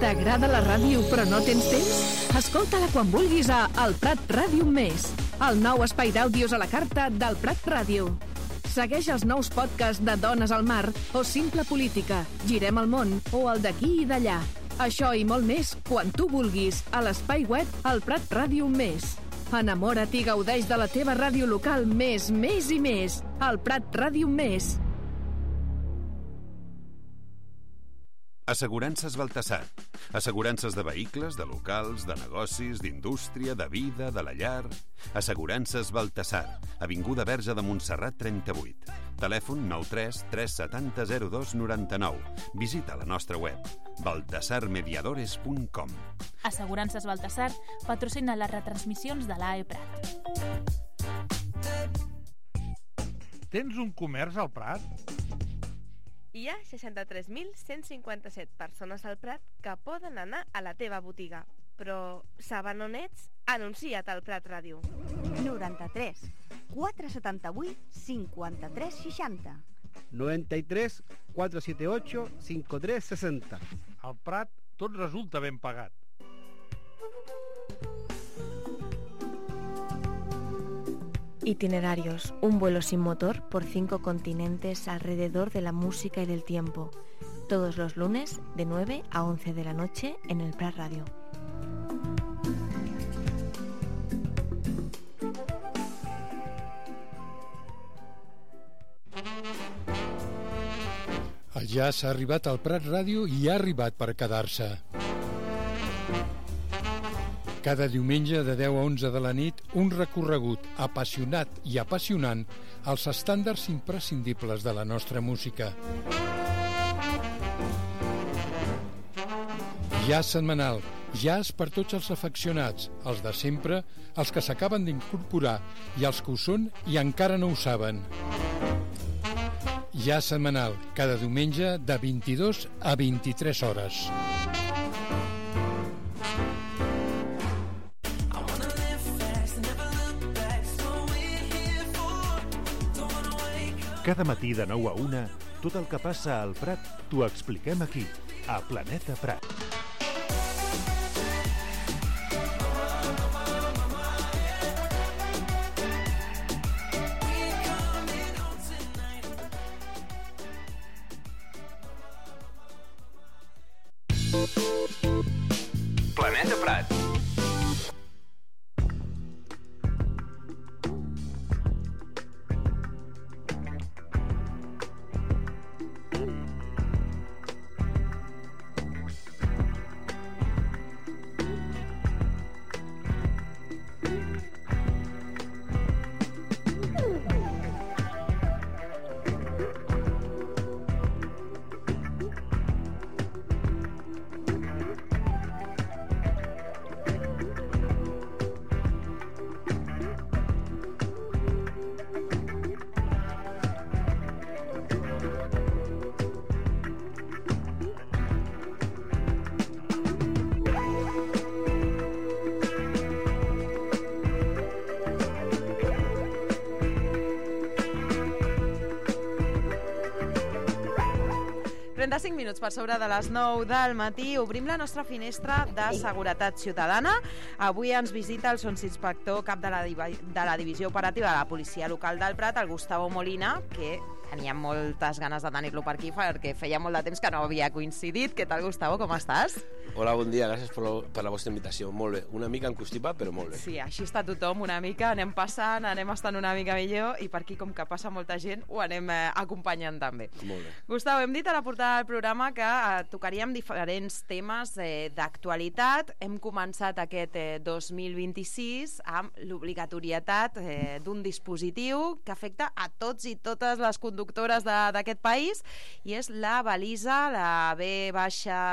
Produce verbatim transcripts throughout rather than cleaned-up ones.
T'agrada la ràdio però no tens temps? Escolta-la quan vulguis a El Prat Ràdio Més, el nou espai d'àudios a la carta del Prat Ràdio. Segueix els nous podcasts de Dones al Mar o Simple Política, Girem el món o el d'aquí i d'allà. Això i molt més quan tu vulguis a l'espai web El Prat Ràdio Més. Enamora't i gaudeix de la teva ràdio local més, més i més. El Prat Ràdio Més. Assegurances Baltasar. Assegurances de vehicles, de locals, de negocis, d'indústria, de vida, de la llar. Assegurances Baltasar. Avinguda Verge de Montserrat trenta-vuit. Telèfon nou tres tres set zero zero dos nou nou. Visita la nostra web baltasar mediadores punt com. Assegurances Baltasar patrocina les retransmissions de l'A E Prat. Tens un comerç al Prat? Hi ha seixanta-tres mil cent cinquanta-set persones al Prat que poden anar a la teva botiga. Però saben on ets? Anuncia't al Prat Ràdio. noranta-tres quatre setanta-vuit cinquanta-tres seixanta. noventa y tres cuatrocientos setenta y ocho cincuenta y tres sesenta. Al Prat tot resulta ben pagat. Itinerarios, un vuelo sin motor por cinco continentes alrededor de la música y del tiempo. Todos los lunes de nueve a once de la noche en el Prat Radio. El jazz ha arribat al Prat Ràdio i ha arribat per quedar-se. Cada diumenge de deu a onze de la nit, un recorregut apassionat i apassionant als estàndards imprescindibles de la nostra música. Jazz setmanal, jazz per tots els afeccionats, els de sempre, els que s'acaben d'incorporar i els que ho són i encara no ho saben. Jazz setmanal, cada diumenge de vint-i-dos a vint-i-tres hores. Cada matí de nou a una, tot el que passa al Prat t'ho expliquem aquí, a Planeta Prat. Planeta Prat. trenta-cinc minuts per sobre de les nou del matí. Obrim la nostra finestra de seguretat ciutadana. Avui ens visita el sotsinspector cap de la, de la divisió operativa de la policia local del Prat, el Gustavo Molina, que teníem moltes ganes de tenir-lo per aquí perquè feia molt de temps que no havia coincidit. Què tal, Gustavo? Com estàs? Hola, bon dia. Gràcies per la, per la vostra invitació. Molt bé. Una mica encostipat, però molt bé. Sí, així està tothom una mica. Anem passant, anem estant una mica millor i per aquí, com que passa molta gent, ho anem eh, acompanyant també. Molt bé. Gustavo, hem dit a la portada del programa que eh, tocaríem diferents temes eh, d'actualitat. Hem començat aquest eh, dos mil vint-i-sis amb l'obligatorietat eh, d'un dispositiu que afecta a tots i totes les conductores d'aquest país, i és la balisa, la B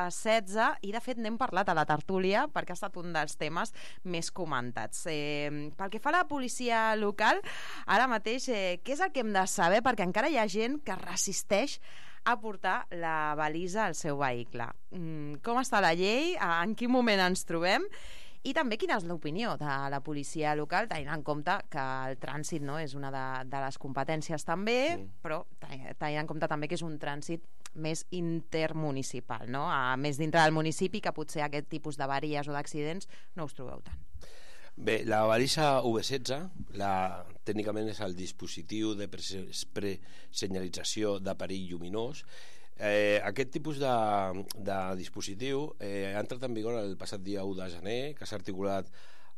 setze, i de fet n'hem parlat a la tertúlia perquè ha estat un dels temes més comentats. Eh, pel que fa a la policia local, ara mateix, eh, què és el que hem de saber? Perquè encara hi ha gent que resisteix a portar la balisa al seu vehicle. Mm, com està la llei? En quin moment ens trobem? I també quina és l'opinió de la policia local, tenint en compte que el trànsit no és una de, de les competències també, sí. Però tenint en compte també que és un trànsit més intermunicipal, no? A més dintre del municipi, que potser aquest tipus d'avaries o d'accidents no us trobeu tant. Bé, la balisa U V setze, la, tècnicament és el dispositiu de presenyalització de perill lluminós. Eh, aquest tipus de, de dispositiu eh, ha entrat en vigor el passat dia u de gener, que s'ha articulat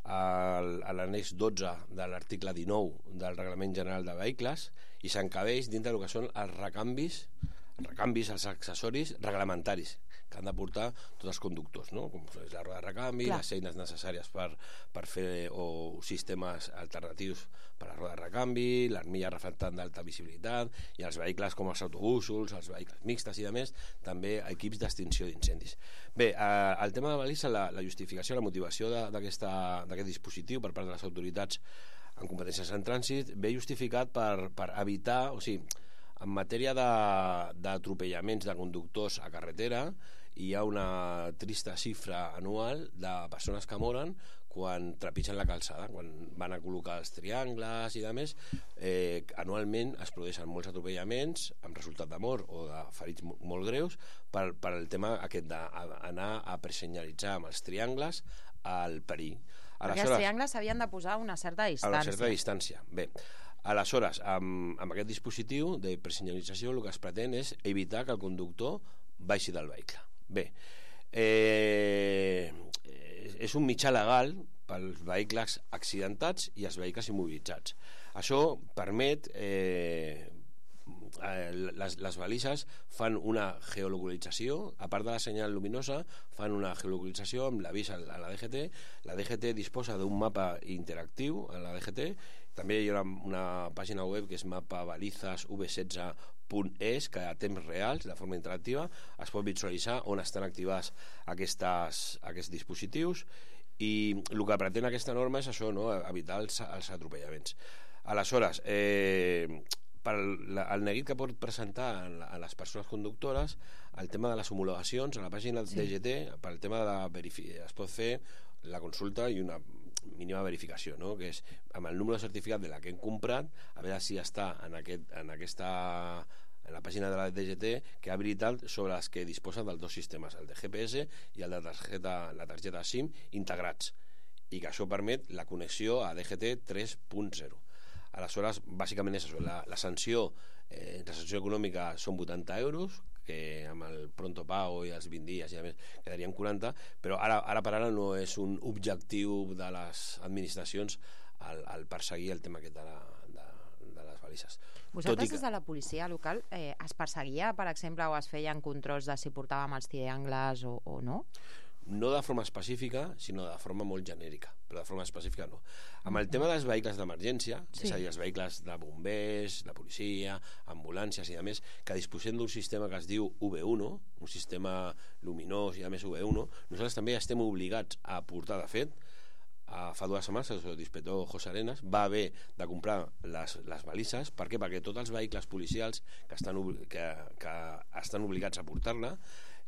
al, a l'annex dotze de l'article dinou del Reglament General de Vehicles i s'encabeix dintre del que són els recanvis, els recanvis, els accessoris reglamentaris que han de portar tots els conductors, no? Com és la roda de recanvi, Clar. les eines necessàries per, per fer o sistemes alternatius per a la roda de recanvi, l'armilla reflectant d'alta visibilitat, i els vehicles com els autobusos, els vehicles mixtes i de més, també equips d'extinció d'incendis. Bé, eh, el tema de la balisa, la, la justificació, la motivació d'aquest dispositiu per part de les autoritats en competències en trànsit ve justificat per, per evitar, o sigui, en matèria d'atropellaments de, de conductors a carretera, hi ha una trista xifra anual de persones que moren quan trepitgen la calçada, quan van a col·locar els triangles i de més. Eh, anualment es produeixen molts atropellaments amb resultat de mort o de ferits molt greus per, per el tema aquest d'anar a presenyalitzar amb els triangles el perill. Perquè els triangles s'havien de posar a una certa distància. A una certa distància, bé. Aleshores, amb, amb aquest dispositiu de presenyalització el que es pretén és evitar que el conductor baixi del vehicle. Bé, eh, és un mitjà legal pels vehicles accidentats i els vehicles immobilitzats. Això permet... Eh, les, les balises fan una geolocalització, a part de la senyal luminosa fan una geolocalització amb l'avís a la D G T. La D G T disposa d'un mapa interactiu a la D G T. També hi ha una, una pàgina web que és mapa balizas v setze punt es, que a temps reals, de forma interactiva, es pot visualitzar on estan activats aquestes, aquests dispositius, i el que pretén aquesta norma és això, no? Evitar els, els atropellaments. Aleshores, eh, per el neguit que pot presentar a les persones conductores, el tema de les homologacions a la pàgina sí. D G T, per el tema de la verificació, es pot fer la consulta i una mínima verificació, no? Que és amb el número de certificat de la que hem comprat, a veure si està en, aquest, en aquesta en la pàgina de la D G T que ha habilitat sobre les que disposen dels dos sistemes, el de G P S i el de targeta, la targeta SIM integrats, i que això permet la connexió a D G T tres punt zero. Aleshores, bàsicament és això, la, la sanció eh, la sanció econòmica són vuitanta euros, que amb el pronto pago i els vint dies i a més quedarien quaranta, però ara, ara per ara no és un objectiu de les administracions el, el perseguir el tema aquest de, la, de, de les balises. Vosaltres des de la policia local eh, es perseguia, per exemple, o es feien controls de si portàvem els triangles o, o no? No de forma específica, sinó de forma molt genèrica, però de forma específica no. Amb el tema dels vehicles d'emergència, sí. És a dir, els vehicles de bombers, de policia, ambulàncies i a més, que disposem d'un sistema que es diu U V u, un sistema luminós i a més U V u, nosaltres també estem obligats a portar, de fet, a fa dues setmanes el inspector José Arenas va haver de comprar les, les balises. Per què? Perquè tots els vehicles policials que estan, que, que estan obligats a portar-la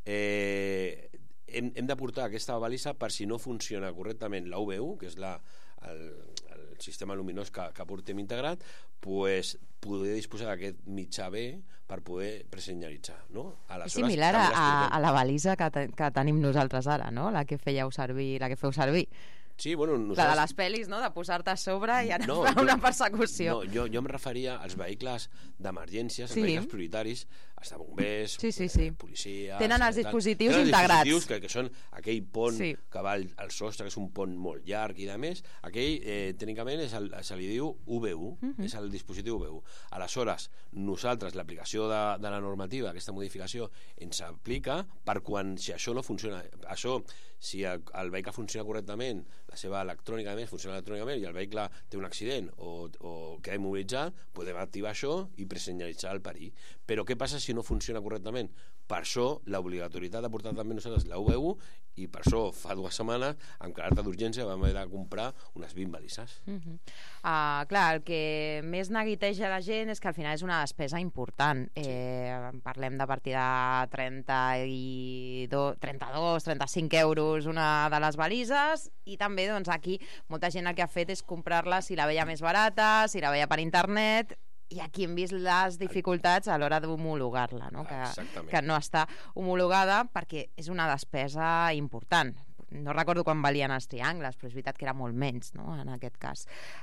eh, hem, hem de portar aquesta balisa per si no funciona correctament la U V u, que és la, el, el sistema luminós que, que portem integrat, pues, poder disposar d'aquest mitjà B per poder presenyalitzar, no? És similar a, a la balisa que, te, que tenim nosaltres ara, no? La que fèieu servir, la que feu servir. Sí, bueno, nosaltres... La de les pel·lis, no? De posar-te a sobre i anar no, a jo, una persecució. No, jo, jo em referia als vehicles d'emergències, sí. Els vehicles prioritaris, els de bombers, sí, sí, sí. policia... Tenen els dispositius tenen integrats. Els dispositius que, que són aquell pont sí. que va al, al sostre, que és un pont molt llarg i de més, aquell, eh, tècnicament, és el, se li diu U V u, uh -huh. És el dispositiu U V u. Aleshores, nosaltres, l'aplicació de, de la normativa, aquesta modificació, ens aplica per quan, si això no funciona, això, si el, el vehicle funciona correctament, la seva electrònica a més funciona electrònicament i el vehicle té un accident o, o queda immobilitzat, podem activar això i presenyalitzar el perill. Però què passa si no funciona correctament? Per això l'obligatorietat de portar també nosaltres la U V u, i per això fa dues setmanes amb caràcter d'urgència vam haver de comprar unes vint balises. Uh -huh. uh, clar, el que més neguiteja la gent és que al final és una despesa important. Sí. Eh, parlem de partir de trenta-dos, trenta-dos, trenta-cinc euros una de les balises, i també doncs, aquí molta gent el que ha fet és comprar-la si la veia més barata, si la veia per internet, i aquí hem vist les dificultats a l'hora d'homologar-la, no? que, Exactament. que no està homologada perquè és una despesa important. No recordo quan valien els triangles, però és veritat que era molt menys, no?, en aquest cas.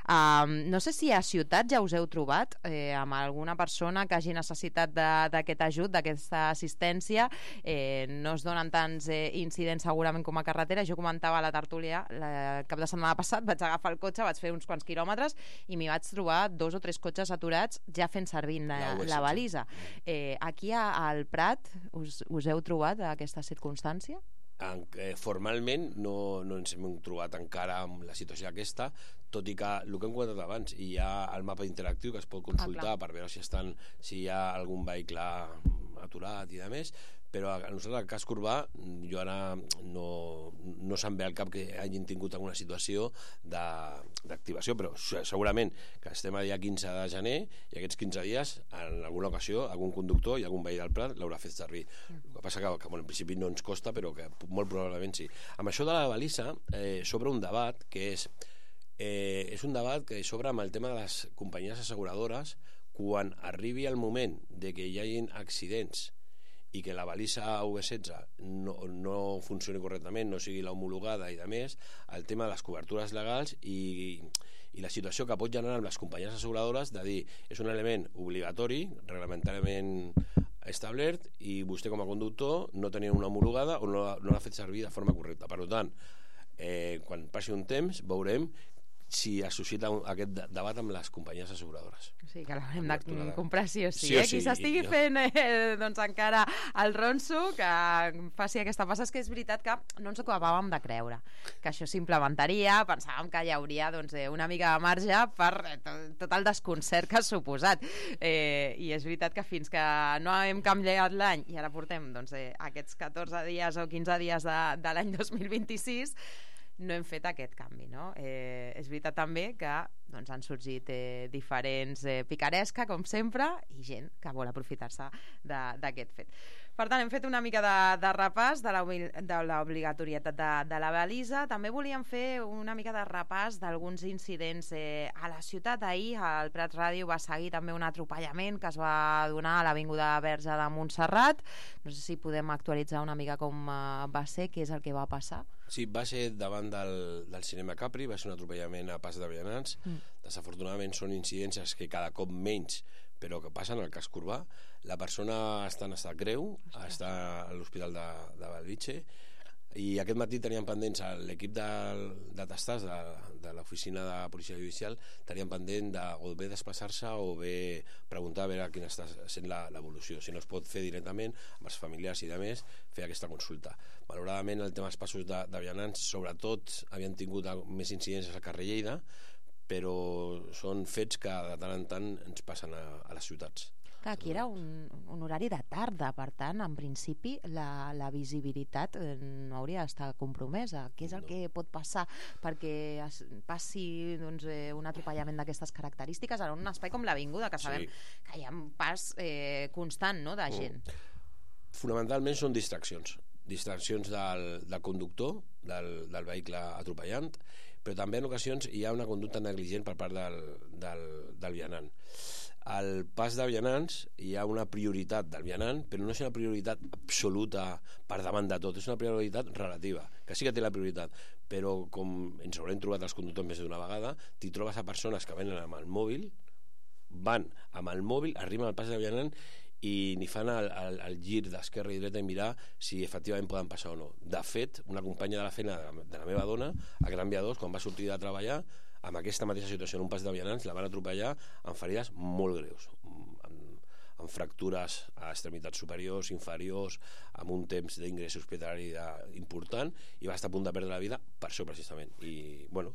Um, no sé si a ciutat ja us heu trobat eh, amb alguna persona que hagi necessitat d'aquest ajut, d'aquesta assistència. Eh, no es donen tants eh, incidents segurament com a carretera. Jo comentava a la tertúlia el cap de setmana passat, vaig agafar el cotxe, vaig fer uns quants quilòmetres i m'hi vaig trobar dos o tres cotxes aturats ja fent servir la, la balisa. Eh, aquí al Prat us, us heu trobat aquesta circumstància? En, eh, formalment no, no ens hem trobat encara amb la situació aquesta, tot i que el que hem comentat abans, hi ha el mapa interactiu que es pot consultar ah, per veure si estan si hi ha algun vehicle aturat i de més, però a nosaltres al casc urbà jo ara no, no se'm ve al cap que hagin tingut alguna situació d'activació, però segurament que estem a dia quinze de gener i aquests quinze dies en alguna ocasió algun conductor i algun veí del Prat l'haurà fet servir. El que passa que, que bueno, en principi no ens costa, però que molt probablement sí. Amb això de la balisa eh, s'obre un debat que és eh, és un debat que s'obre amb el tema de les companyies asseguradores quan arribi el moment de que hi hagin accidents i que la balisa U V setze no, no funcioni correctament, no sigui la homologada i de més, el tema de les cobertures legals i, i la situació que pot generar amb les companyies asseguradores de dir, és un element obligatori, reglamentàriament establert, i vostè com a conductor no tenia una homologada o no, no l'ha fet servir de forma correcta. Per tant, eh, quan passi un temps veurem si es suscita un, aquest debat amb les companyies asseguradores. Sí, que l'hem de comprar sí o sí. sí, o eh? Qui sí s'estigui i, fent eh, doncs encara el ronso, que faci aquesta passa. És que és veritat que no ens acabàvem de creure que això s'implementaria, pensàvem que hi hauria doncs, una mica de marge per tot el desconcert que ha suposat. Eh, I és veritat que fins que no hem canviat l'any, i ara portem doncs, eh, aquests catorze dies o quinze dies de, de l'any dos mil vint-i-sis, no hem fet aquest canvi, no? Eh, és veritat també que doncs, han sorgit eh, diferents eh, picaresca, com sempre, i gent que vol aprofitar-se d'aquest fet. Per tant, hem fet una mica de, de repàs de l'obligatorietat de, de la balisa. També volíem fer una mica de repàs d'alguns incidents eh, a la ciutat. Ahir el Prat Ràdio va seguir també un atropellament que es va donar a l'Avinguda Verge de Montserrat. No sé si podem actualitzar una mica com eh, va ser, què és el que va passar. Sí, va ser davant del, del cinema Capri, va ser un atropellament a Pas de Vianants. Mm. Desafortunadament són incidències que cada cop menys, però que passen al casc urbà. La persona està en estat greu, Hòstia. està a l'Hospital de, de Bellvitge, i aquest matí teníem pendents l'equip de, de tastats de, de l'oficina de policia judicial, teníem pendent de o bé desplaçar-se o bé preguntar a veure quina està sent l'evolució, si no es pot fer directament amb els familiars i de més fer aquesta consulta. Malauradament el tema dels passos de, de vianants, sobretot havien tingut més incidències al carrer Lleida, però són fets que de tant en tant ens passen a, a les ciutats. Aquí era un, un horari de tarda, per tant, en principi la, la visibilitat no hauria d'estar compromesa. Què és el no. que pot passar perquè es passi doncs, un atropellament d'aquestes característiques en un espai com l'Avinguda, que sabem sí. que hi ha un pas eh, constant, no?, de gent? Mm. Fonamentalment són distraccions. Distraccions del, del conductor, del, del vehicle atropellant, però també en ocasions hi ha una conducta negligent per part del, del, del vianant. Al pas de vianants hi ha una prioritat del vianant, però no és una prioritat absoluta per davant de tot, és una prioritat relativa, que sí que té la prioritat, però com ens haurem trobat els conductors més d'una vegada, t'hi trobes a persones que venen amb el mòbil, van amb el mòbil, arriben al pas de vianant i ni fan el, el, el gir d'esquerra i dreta i mirar si efectivament poden passar o no. De fet, una companya de la feina de la meva dona, a Gran Via dos, quan va sortir de treballar, amb aquesta mateixa situació en un pas de vianants, la van atropellar amb ferides molt greus, amb, amb fractures a extremitats superiors, inferiors, amb un temps d'ingrés hospitalari important, i va estar a punt de perdre la vida per això precisament. I bueno,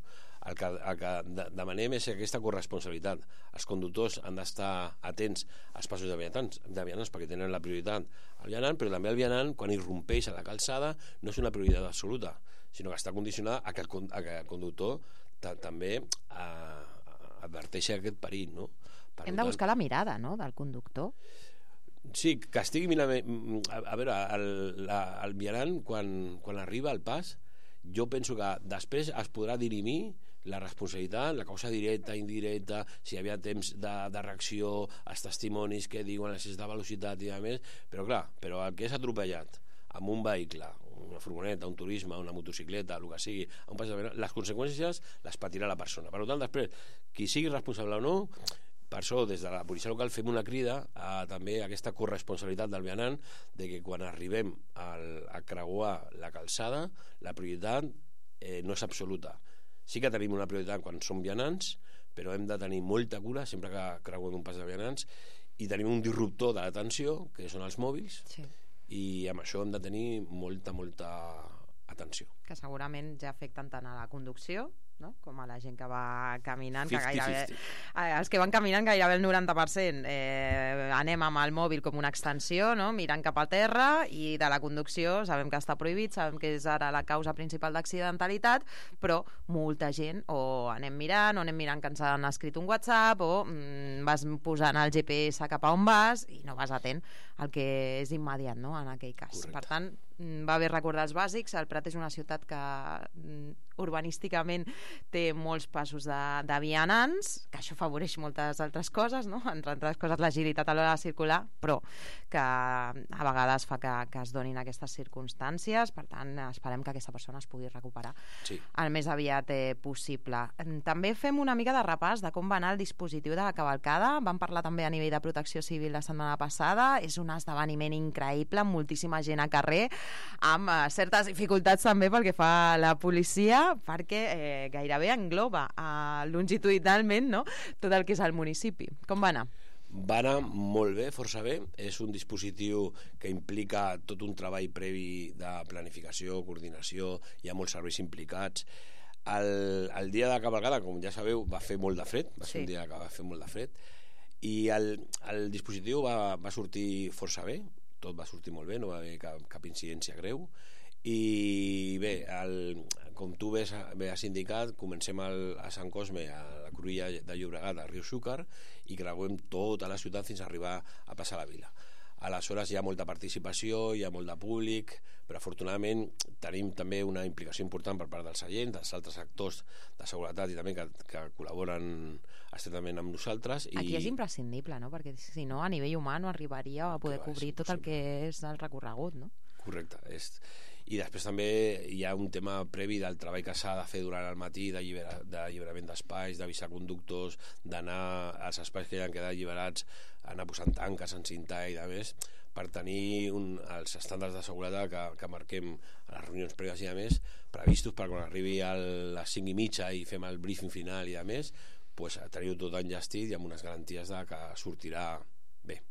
el que, el que demanem és aquesta corresponsabilitat. Els conductors han d'estar atents als passos de vianants, de vianants perquè tenen la prioritat al vianant, però també el vianant, quan irrompeix a la calçada, no és una prioritat absoluta, sinó que està condicionada a que el, a que el conductor també eh, adverteixi aquest perill, no? Per Hem de buscar tant, la mirada, no?, del conductor. Sí, que estigui mirant, a, a veure, el, la, el vianant quan, quan arriba al pas, jo penso que després es podrà dirimir la responsabilitat, la causa directa, indirecta, si hi havia temps de, de reacció, els testimonis que diuen l'excés de velocitat i a més, però clar, però el que és atropellat amb un vehicle, una furgoneta, un turisme, una motocicleta, el que sigui, un pas de... les conseqüències les patirà la persona. Per tant, després, qui sigui responsable o no, per això, des de la policia local fem una crida a també aquesta corresponsabilitat del vianant, de que quan arribem al, a creuar la calçada, la prioritat eh, no és absoluta. Sí que tenim una prioritat quan som vianants, però hem de tenir molta cura sempre que creuem un pas de vianants, i tenim un disruptor de l'atenció, que són els mòbils, sí. I amb això hem de tenir molta, molta atenció. Que segurament ja afecten tant a la conducció, no? Com a la gent que va caminant, cinquanta que gairebé, cinquanta. els que van caminant gairebé el noranta per cent eh, anem amb el mòbil com una extensió, no? Mirant cap a terra, i de la conducció sabem que està prohibit, sabem que és ara la causa principal d'accidentalitat, però molta gent o anem mirant o anem mirant que ens han escrit un WhatsApp o mm, vas posant el G P S cap a on vas i no vas atent al que és immediat, no? En aquell cas. Correcte. Per tant, va bé recordar els bàsics. El Prat és una ciutat que urbanísticament té molts passos de, de vianants, que això afavoreix moltes altres coses, no? Entre altres coses l'agilitat a l'hora de circular, però que a vegades fa que, que es donin aquestes circumstàncies. Per tant, esperem que aquesta persona es pugui recuperar sí. el més aviat eh, possible. També fem una mica de repàs de com va anar el dispositiu de la cavalcada. Vam parlar també a nivell de protecció civil la setmana passada. És un esdeveniment increïble, amb moltíssima gent a carrer, amb eh, certes dificultats també pel que fa a la policia, perquè eh, gairebé engloba eh, longitudinalment, no?, tot el que és el municipi. Com va anar? Va anar molt bé, força bé. És un dispositiu que implica tot un treball previ de planificació, coordinació, hi ha molts serveis implicats. El, el dia de cavalcada, com ja sabeu, va fer molt de fred, va ser sí. un dia que va fer molt de fred, i el, el dispositiu va, va sortir força bé, tot va sortir molt bé, no va haver cap, cap incidència greu. I bé, el, com tu bé, bé has indicat, comencem al, a Sant Cosme, a la Cruïlla de Llobregat, a Riu Xúquer, i creuem tota la ciutat fins a arribar a passar la vila. Aleshores hi ha molta participació, hi ha molt de públic, però afortunadament tenim també una implicació important per part dels agents, dels altres actors de seguretat i també que, que col·laboren estretament amb nosaltres. Aquí i... és imprescindible, no? Perquè si no, a nivell humà no arribaria a poder cobrir tot el que és el recorregut, no? Correcte. És... I després també hi ha un tema previ del treball que s'ha de fer durant el matí d'alliberament d'espais, d'avisar conductors, d'anar als espais que ja han quedat alliberats, anar posant tanques, encintar i de més, per tenir un, els estàndards de seguretat que, que marquem a les reunions prèvies i de més, previstos per quan arribi a les cinc i mitja i fem el briefing final i de més, pues, tenir-ho tot enllestit i amb unes garanties de que sortirà bé.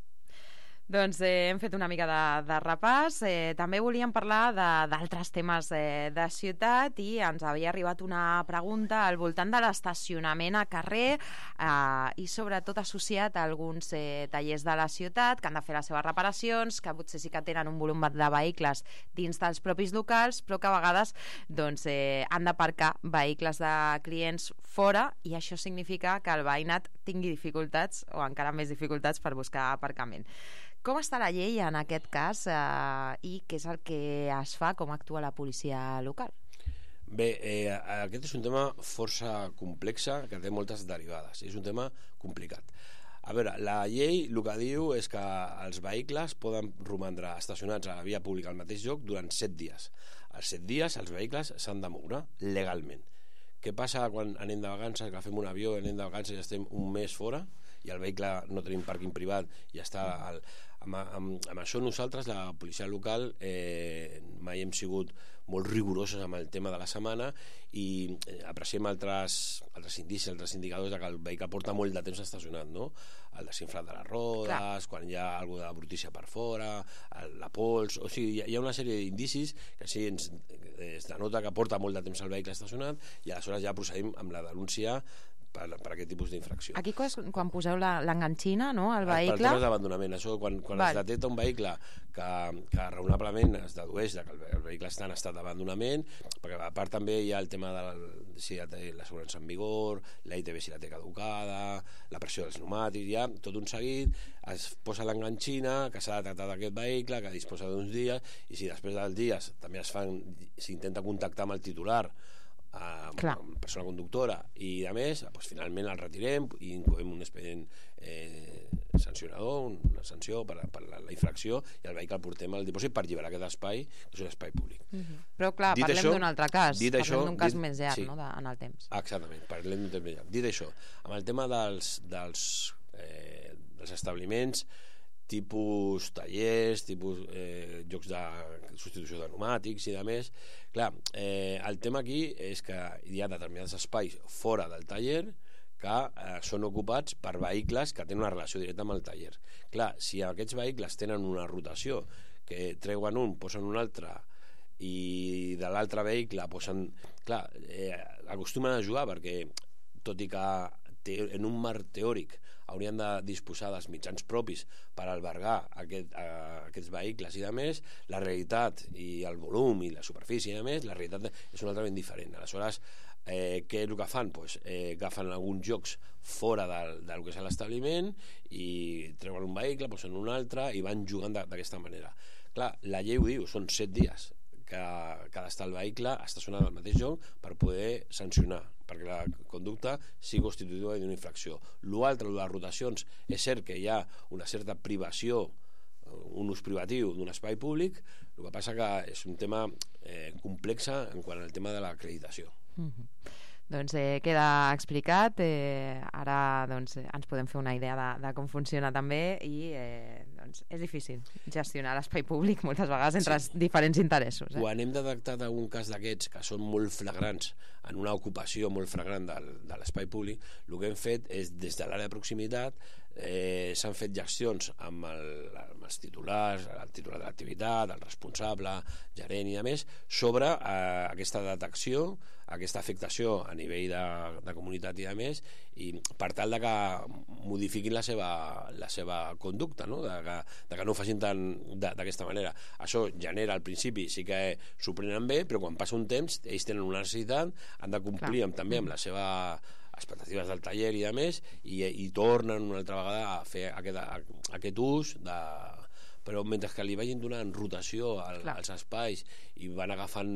Doncs eh, hem fet una mica de, de repàs. Eh, també volíem parlar d'altres temes eh, de ciutat, i ens havia arribat una pregunta al voltant de l'estacionament a carrer eh, i sobretot associat a alguns eh, tallers de la ciutat que han de fer les seves reparacions, que potser sí que tenen un volum de vehicles dins dels propis locals, però que a vegades doncs, eh, han d'aparcar vehicles de clients fora, i això significa que el veïnat tingui dificultats o encara més dificultats per buscar aparcament. Com està la llei en aquest cas eh, i què és el que es fa, com actua la policia local? Bé, eh, aquest és un tema força complex que té moltes derivades, és un tema complicat. A veure, la llei el que diu és que els vehicles poden romandre estacionats a la via pública al mateix lloc durant set dies. Els set dies els vehicles s'han de moure legalment. Què passa quan anem de vacances, que fem un avió, anem de vacances i estem un mes fora i el vehicle no tenim pàrquing privat i està al... Amb, amb, amb això nosaltres, la policia local, eh, mai hem sigut molt rigorosos amb el tema de la setmana i eh, apreciem altres, altres indicis, altres indicadors de que el vehicle porta molt de temps estacionat, no? El desinflat de les rodes, clar, quan hi ha alguna de brutícia per fora, el, la pols, o sigui, hi ha una sèrie d'indicis que sí ens, es denota que porta molt de temps el vehicle estacionat, i aleshores ja procedim amb la denúncia per, per aquest tipus d'infracció. Aquí quan poseu l'enganxina, no, al vehicle? Per temes d'abandonament. Això, quan, quan es detecta un vehicle que, que raonablement es dedueix que el, el vehicle està en estat d'abandonament, perquè a part també hi ha el tema de la, si ja té l'assegurança en vigor, la I T V si la té caducada, la pressió dels pneumàtics, ja tot un seguit, es posa l'enganxina que s'ha detectat aquest vehicle, que disposa d'uns dies, i si després dels dies també es fan, s'intenta contactar amb el titular a persona conductora i a més, doncs, finalment el retirem i incloem un expedient eh, sancionador, una sanció per, per la, la infracció, i el vehicle el portem al dipòsit per alliberar aquest espai, que és un espai públic. Uh-huh. Però clar, dit parlem d'un altre cas, parlem això, d'un cas dit, més llarg, sí, no, de, en el temps. Exactament, parlem d'un temps més llarg. Dit això, amb el tema dels, dels, eh, dels establiments tipus tallers, tipus eh, jocs de substitució de pneumàtics i de més, clar, eh, el tema aquí és que hi ha determinats espais fora del taller que eh, són ocupats per vehicles que tenen una relació directa amb el taller. Clar, si aquests vehicles tenen una rotació, que treuen un, posen un altre, i de l'altre vehicle posen... Clar, eh, acostumen a jugar perquè, tot i que te, en un marc teòric haurien de disposar dels mitjans propis per albergar aquest, a, aquests vehicles i de més, la realitat i el volum i la superfície i de més, la realitat és una altra ben diferent. Aleshores, eh, què és el que fan? Pues, eh, agafen alguns jocs fora del, del que és l'establiment i treuen un vehicle, posen un altre i van jugant d'aquesta manera. Clar, la llei ho diu, són set dies que, que ha d'estar el vehicle estacionat al mateix lloc per poder sancionar, perquè la conducta sigui constitutiva d'una infracció. L'altre, les rotacions, és cert que hi ha una certa privació, un ús privatiu d'un espai públic, el que passa que és un tema eh, complex en quant al tema de l'acreditació. Mm-hmm. Doncs eh, queda explicat, eh, ara doncs, ens podem fer una idea de, de com funciona també i eh, doncs, és difícil gestionar l'espai públic moltes vegades entre sí. diferents interessos. Eh? Quan hem detectat algun cas d'aquests que són molt flagrants en una ocupació molt flagrant del, de l'espai públic, el que hem fet és des de l'àrea de proximitat eh, s'han fet gestions amb, el, amb els titulars, el titular de l'activitat, el responsable, gerent i a més, sobre eh, aquesta detecció, aquesta afectació a nivell de, de comunitat i de més, i per tal de que modifiquin la seva, la seva conducta, no? de, que, de que no ho facin tant d'aquesta manera. Això genera al principi, sí que s'ho prenen bé, però quan passa un temps ells tenen una necessitat, han de complir amb, també amb la seva expectatives del taller i de més, i, i tornen una altra vegada a fer aquest, a, aquest ús de... però mentre que li vagin donant rotació al, als espais i van agafant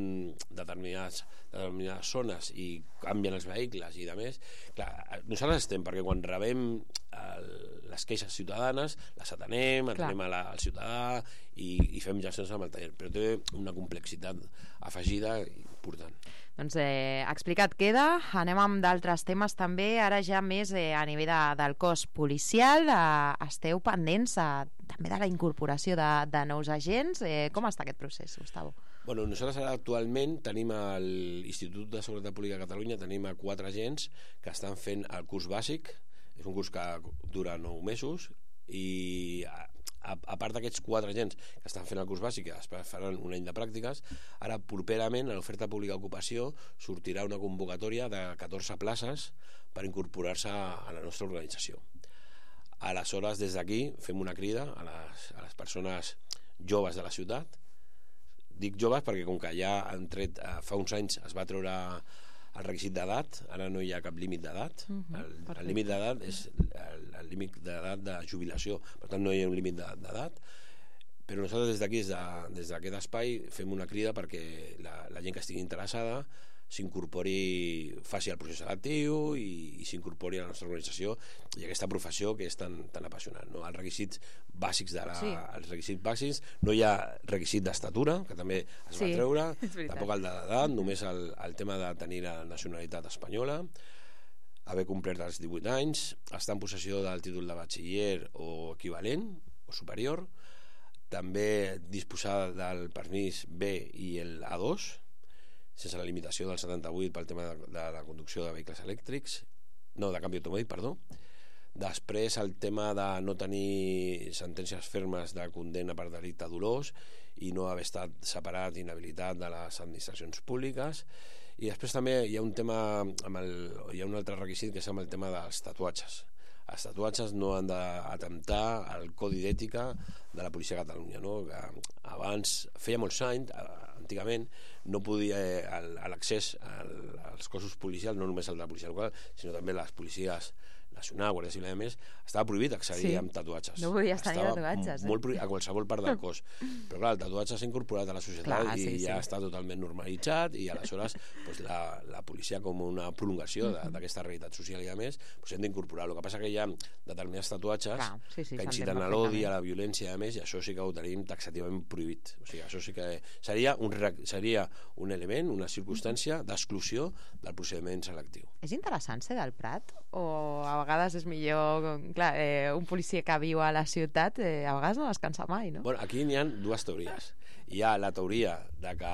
determinats, determinades zones i canvien els vehicles i de més, clar, nosaltres estem perquè quan rebem el, les queixes ciutadanes les atenem, atenem a la, al ciutadà i, i fem gestions amb el taller, però té una complexitat afegida important. Doncs eh, explicat queda, anem amb d'altres temes també, ara ja més eh, a nivell de, del cos policial, eh, esteu pendents eh, també de la incorporació de, de nous agents, eh, com està aquest procés, Gustavo? Bueno, nosaltres ara actualment tenim a l'Institut de Seguretat Pública de Catalunya, tenim a quatre agents que estan fent el curs bàsic, és un curs que dura nou mesos i a, a, a part d'aquests quatre agents que estan fent el curs bàsic i després faran un any de pràctiques, ara properament a l'oferta pública d'ocupació sortirà una convocatòria de catorze places per incorporar-se a la nostra organització. Aleshores, des d'aquí fem una crida a les, a les persones joves de la ciutat. Dic joves perquè com que ja han tret, fa uns anys es va treure el requisit d'edat, ara no hi ha cap límit d'edat. Uh-huh, el, el límit d'edat és el, el límit d'edat de jubilació, per tant no hi ha un límit d'edat, però nosaltres des d'aquí, des d'aquest espai, fem una crida perquè la, la gent que estigui interessada s'incorpori, faci el procés selectiu i, i s'incorpori a la nostra organització i aquesta professió que és tan, tan apassionant, no? Els requisits bàsics de la, sí. els requisits bàsics, no hi ha requisit d'estatura, que també es sí, va treure, tampoc el d'edat, només el, el tema de tenir la nacionalitat espanyola, haver complert els divuit anys, estar en possessió del títol de batxiller o equivalent o superior, també disposar del permís B i el A dos, sense la limitació del setanta-vuit pel tema de, de la conducció de vehicles elèctrics, no, de canvi automàtic, perdó. Després el tema de no tenir sentències fermes de condemna per delicte dolós i no haver estat separat, inhabilitat de les administracions públiques. I després també hi ha un tema amb el, hi ha un altre requisit que és amb el tema dels tatuatges. Els tatuatges no han d'atemptar al codi d'ètica de la policia de Catalunya, no? Que abans, feia molts anys, antigament, no podia l'accés als cossos policials, no només el de la policia local, sinó també les policies Nacional, Guàrdia Civil, a més, estava prohibit accedir Sí. amb tatuatges. No podies tenir Estava tatuatges, eh? molt prohibit a qualsevol part del cos. Però clar, el tatuatge s'ha incorporat a la societat Clar, i sí, ja sí. està totalment normalitzat i aleshores pues, la, la policia com una prolongació de- d'aquesta realitat social i a més pues, hem d'incorporar. El que passa que hi ha determinats tatuatges Clar, sí, sí, que s'entén inciten a l'odi, a la violència i a més, i això sí que ho tenim taxativament prohibit. O sigui, això sí que seria un, re- seria un element, una circumstància d'exclusió del procediment selectiu. És interessant ser del Prat? O a vegades és millor... Clar, eh, un policia que viu a la ciutat eh, a vegades no descansa mai, no? Bueno, aquí n'hi ha dues teories. Hi ha la teoria de que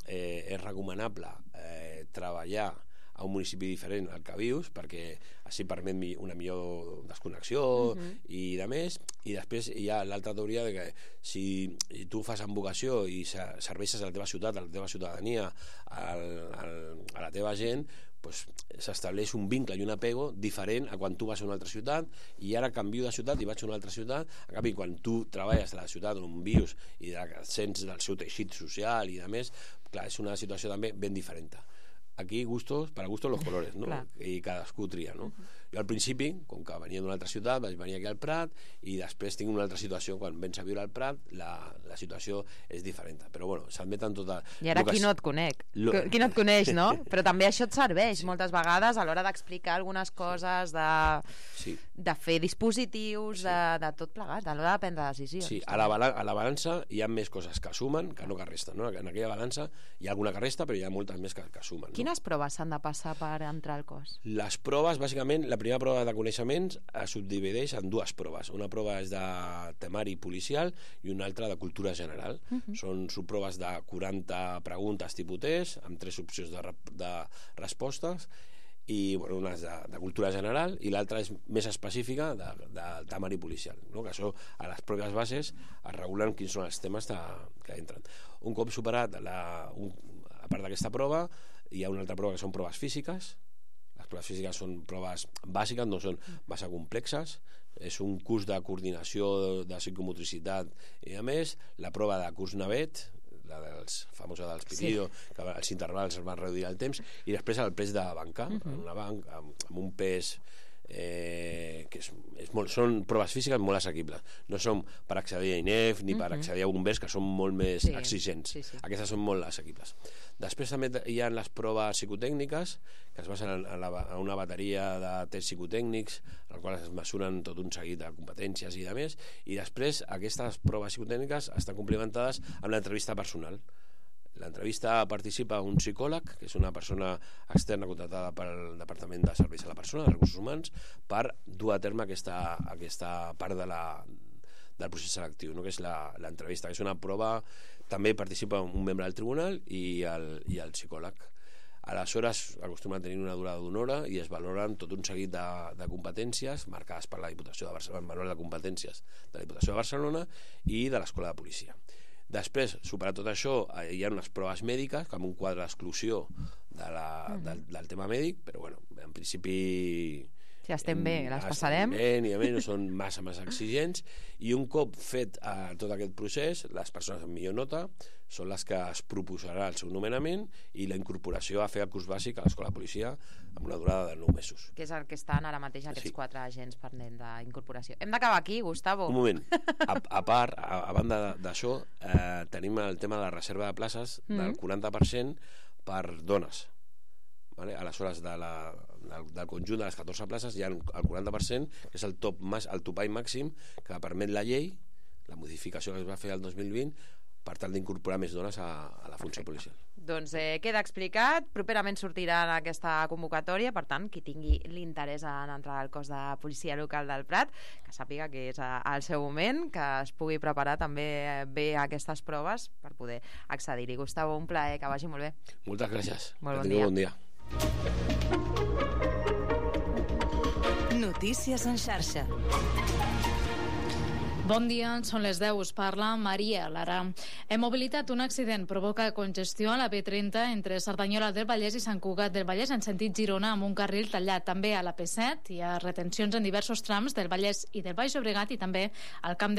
eh, és recomanable eh, treballar a un municipi diferent al que vius perquè així permet mi- una millor desconnexió Mhm. i de més, i després hi ha l'altra teoria de que si tu fas amb vocació i se- serveixes a la teva ciutat, a la teva ciutadania, al, al, a la teva gent, pues, s'estableix un vincle i un apego diferent a quan tu vas a una altra ciutat i ara canvio de ciutat i vaig a una altra ciutat. En canvi, quan tu treballes a la ciutat on vius i de, sents del seu teixit social i de més, clar, és una situació també ben diferent. Aquí gustos, para gustos los colores, no? Clar. I cadascú tria, no? Jo al principi, com que venia d'una altra ciutat, vaig venir aquí al Prat i després tinc una altra situació, quan vens a viure al Prat la, la situació és diferent, però bueno, s'admeten tota... I ara lo que qui es- no et conec? Lo- Qui no et coneix, no? Però també això et serveix moltes vegades a l'hora d'explicar algunes coses, de, Sí. de fer dispositius, de, de tot plegat, a l'hora de prendre decisions. Sí, a la, bala- a la balança hi ha més coses que sumen que no que resten, no? En aquella balança hi ha alguna que resta, però hi ha moltes més que, que sumen. No? Quines proves s'han de passar per entrar al cos? Les proves, bàsicament, la primera prova de coneixements es subdivideix en dues proves. Una prova és de temari policial i una altra de cultura general. Mhm. Són subproves de quaranta preguntes tipus test, amb tres opcions de, rep- de respostes, i bueno, una és de, de cultura general i l'altra és més específica de, de temari policial, no? Que això a les pròpies bases es regulen quins són els temes de, que entren. Un cop superat la, un, a part d'aquesta prova hi ha una altra prova que són proves físiques. Les proves físiques són proves bàsiques, no són massa complexes, és un curs de coordinació de psicomotricitat i a més la prova de curs navet, la dels famosa dels Pirido, sí. que els intervals es van reduir el temps, i després el pes de banca, uh -huh. en una banca amb, amb un pes eh, que és, és molt, són proves físiques molt assequibles, no són per accedir a I N E F ni per Mhm. accedir a bombers, que són molt més Sí, exigents. sí, sí. Aquestes són molt assequibles. Després també hi ha les proves psicotècniques, que es basen en, en, la, en una bateria de tests psicotècnics, en els quals es mesuren tot un seguit de competències i de més, i després aquestes proves psicotècniques estan complementades amb l'entrevista personal. L'entrevista participa un psicòleg, que és una persona externa contratada pel Departament de Serveis a la Persona, de Recursos Humans, per dur a terme aquesta, aquesta part de la, del procés selectiu, no? Que és la- l'entrevista, que és una prova. També participa un membre del tribunal i el, i el psicòleg. Aleshores acostumen a tenir una durada d'una hora i es valoren tot un seguit de, de competències marcades per la Diputació de Barcelona, el manual de competències de la Diputació de Barcelona i de l'Escola de Policia. Després, superat tot això, eh, hi ha unes proves mèdiques, com un quadre d'exclusió de la, Mhm. del, del tema mèdic, però bueno, en principi... Si estem bé, les estem passarem. Bé, ni a més, no són massa, massa exigents, i un cop fet eh, tot aquest procés, les persones amb millor nota són les que es proposarà el seu nomenament i la incorporació a fer el curs bàsic a l'Escola de Policia amb una durada de nou mesos. Que és el que estan ara mateix aquests Sí. quatre agents pendents d'incorporació. Hem d'acabar aquí, Gustavo. Un moment, a, a part, a, a banda d'això, eh, tenim el tema de la reserva de places del Mm. quaranta per cent per dones. Vale? Aleshores, de la, del, del conjunt de les catorze places hi ha el quaranta per cent, que és el, top, mas- el topall màxim que permet la llei, la modificació que es va fer el dos mil vint, per tal d'incorporar més dones a, a la funció policial. Doncs eh, queda explicat, properament sortirà en aquesta convocatòria, per tant, qui tingui l'interès en entrar al cos de policia local del Prat, que sàpiga que és a- al seu moment, que es pugui preparar també bé aquestes proves per poder accedir-hi. Gustavo, un plaer, que vagi molt bé. Moltes gràcies. Molt Que bon tingueu dia. bon dia. Notícies en xarxa. Bon dia, són les deu, us parla Maria Lara. En mobilitat, un accident provoca congestió a la B trenta entre Cerdanyola del Vallès i Sant Cugat del Vallès en sentit Girona amb un carril tallat. També a la P set hi ha retencions en diversos trams del Vallès i del Baix Llobregat i també al Camp de